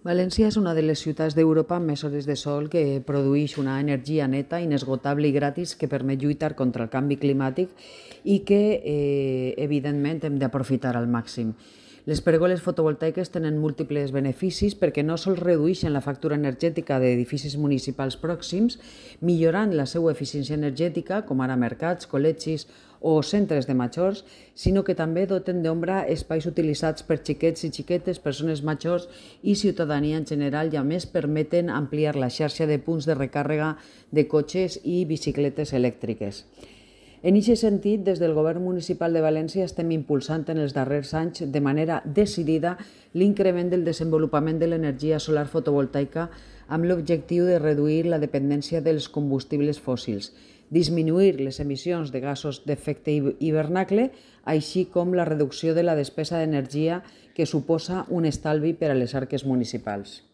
València és una de les ciutats d'Europa amb més hores de sol, que produeix una energia neta, inesgotable i gratis que permet lluitar contra el canvi climàtic i que, evidentment, hem d'aprofitar al màxim. Les pèrgoles fotovoltaiques tenen múltiples beneficis perquè no sols redueixen la factura energètica d'edificis municipals pròxims, millorant la seva eficiència energètica, com ara mercats, col·legis o centres de majors, sinó que també doten d'ombra espais utilitzats per xiquets i xiquetes, persones majors i ciutadania en general, i a més permeten ampliar la xarxa de punts de recàrrega de cotxes i bicicletes elèctriques. En aquest sentit, des del Govern Municipal de València estem impulsant en els darrers anys de manera decidida l'increment del desenvolupament de l'energia solar fotovoltaica amb l'objectiu de reduir la dependència dels combustibles fòssils, disminuir les emissions de gasos d'efecte hivernacle, així com la reducció de la despesa d'energia que suposa un estalvi per a les arques municipals.